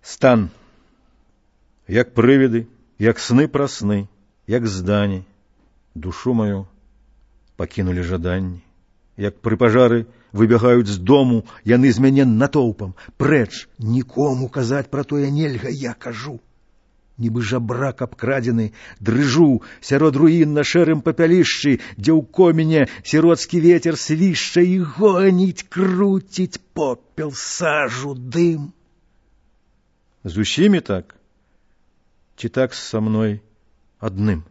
Стан, як прывиды, як сны пра сны, як здані, душу мою пакінулі жаданні. Як пры пажары выбягаюць з дому, яны з мяне натоўпам. Прэч, нікому казаць пра тое нельга, я кажу. Нібы жабрак абкрадзены, дрыжу сярод руін на шэрым папялішчы, дзе ў коміне сіроцкі вецер свішча і гоніць, круціць попел, сажу, дым. З усімі так? Ці так са мной адным?